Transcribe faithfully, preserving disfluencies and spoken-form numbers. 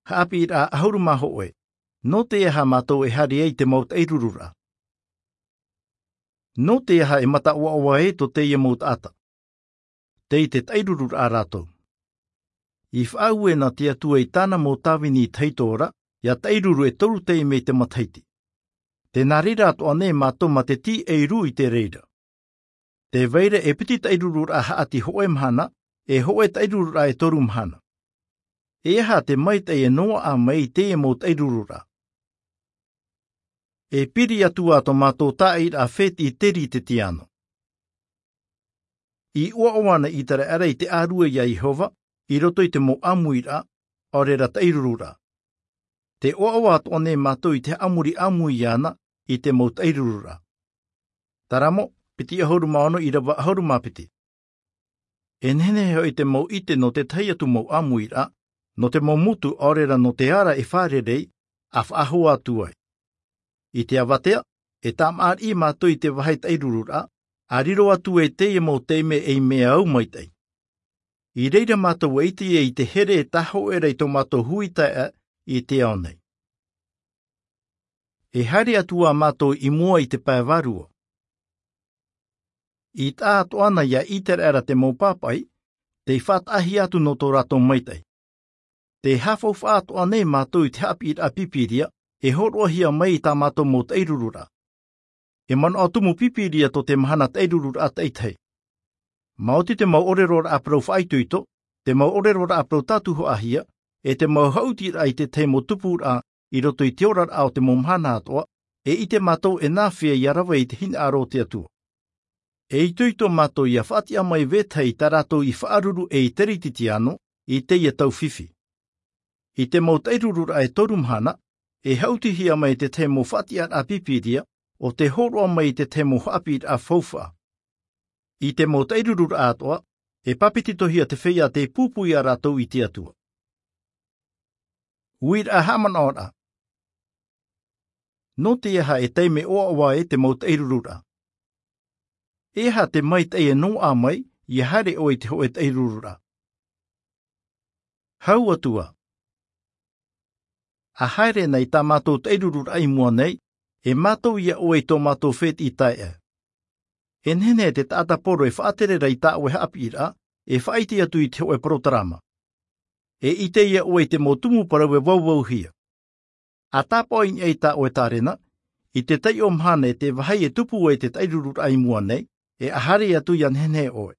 Haʻapiʻiraʻa ʻahuru mā hōʻē. Nō te aha mātou e haere ai i te mau taʻirururaʻa? Nō te aha e mata ʻoaʻoa ai tō teie mau taʻata? Tei te taʻirururaʻa rātou. I faʻaue na te Atua i tāna mau tāvini i tahito ra, ʻia taʻiruru e toru taime i te matahiti. Tē nā reira atoʻa nei mātou mā te tīʻairū i te reira. Tē vai ra e piti taʻirururaʻa haʻati hōʻē mahana, e hōʻē taʻirururaʻa e toru mahana. E aha te maitaʻi e noaʻa mai i teie mau taʻirururaʻa? E piri atu ā tō mātou tāʻairaʻa fētiʻi Teritiano. I ʻoaʻoa ana ʻĪteraʻera i te ʻĀrue iā Iehova, i roto i te mau ʻāmuiraʻa, ʻaore ra taʻirururaʻa. Tē ʻoaʻoa atoʻa nei mātou i te haʻamori ʻāmui iāna i te mau taʻirururaʻa. Taramo, piti ʻahuru mā ono ʻīrava ʻahuru mā piti. E nehenehe hoʻi te mau ʻite nō te tahi atu mau ʻāmuiraʻa, nō te mau motu ʻaore ra nō te ara e fārerei, ʻa faʻahou atu ai. I te avatea, e tāmāʻaraʻi mātou i te vāhi taʻirururaʻa, ʻa riro atu e teie mau taime ei mea au maitaʻi. I reira mātou e ʻite ai i te here e tāhōʻē ra i tō mātou hui taeaʻe i te ao nei. E haere atu ā mātou i mua i te pae vārua. I taʻa atoʻa na iā ʻĪteraʻera te mau pāpaʻi, tei faʻataʻahia atu nō tō rātou maitaʻi. Tē haʻafaufaʻa atoʻa nei mātou i te haʻapiʻiraʻa Pīpīria, e hōroʻahia mai i tā mātou mau taʻirururaʻa. E manaʻo tumu Pīpīria tō te mahana taʻirururaʻa taʻitahi. Maoti te mau ʻōreroraʻa parau faʻaitoito, te mau ʻōreroraʻa parau tātuhaʻahia, e te mau haʻutiraʻa i te tahi mau tupuraʻa i roto i te oraraʻa o te mau mahana atoʻa, e ʻite mātou e nāfea ʻia rave i te hinaʻaro o te Atua. E itoito mātou ʻia faʻatiʻa mai vetahi i tā rātou i faʻaruru ei Teritiano i teie tau fifi. I te mau taʻirururaʻa e toru mahana, e haʻutihia mai te tahi mau faʻatiʻaraʻa Pīpīria, ʻo tē hōroʻa mai i te tahi mau haʻapiʻiraʻa faufaʻa. I te mau taʻirururaʻa atoʻa, e pāpetitohia te feiā tei pūpū iā rātou i te Atua. Uiraʻa haʻamanaʻoraʻa. Nō te aha e taime ʻoaʻoa ai te mau taʻirururaʻa? E aha te maitaʻi e noaʻa mai ʻia haere ʻoe i te hōʻē taʻirururaʻa? Hau atu ā. ʻA haere na i tā mātou taʻirururaʻa i mua nei, e mātau ia ʻoe i tō mātou fētiʻi taeaʻe. E nehenehe te taʻata poro e faʻatere ra i tā ʻoe haʻapiʻiraʻa, e faʻaʻite atu i te hōʻē porotarama. E ʻite ia ʻoe i te mau tumu parau e vauvauhia. ʻA tāpaʻo i niʻa i tā ʻoe tārena, i te taiʻo mahana e te vāhi e tupu ai te taʻirururaʻa i mua nei, e ʻa haere atu ʻia nehenehe ʻoe.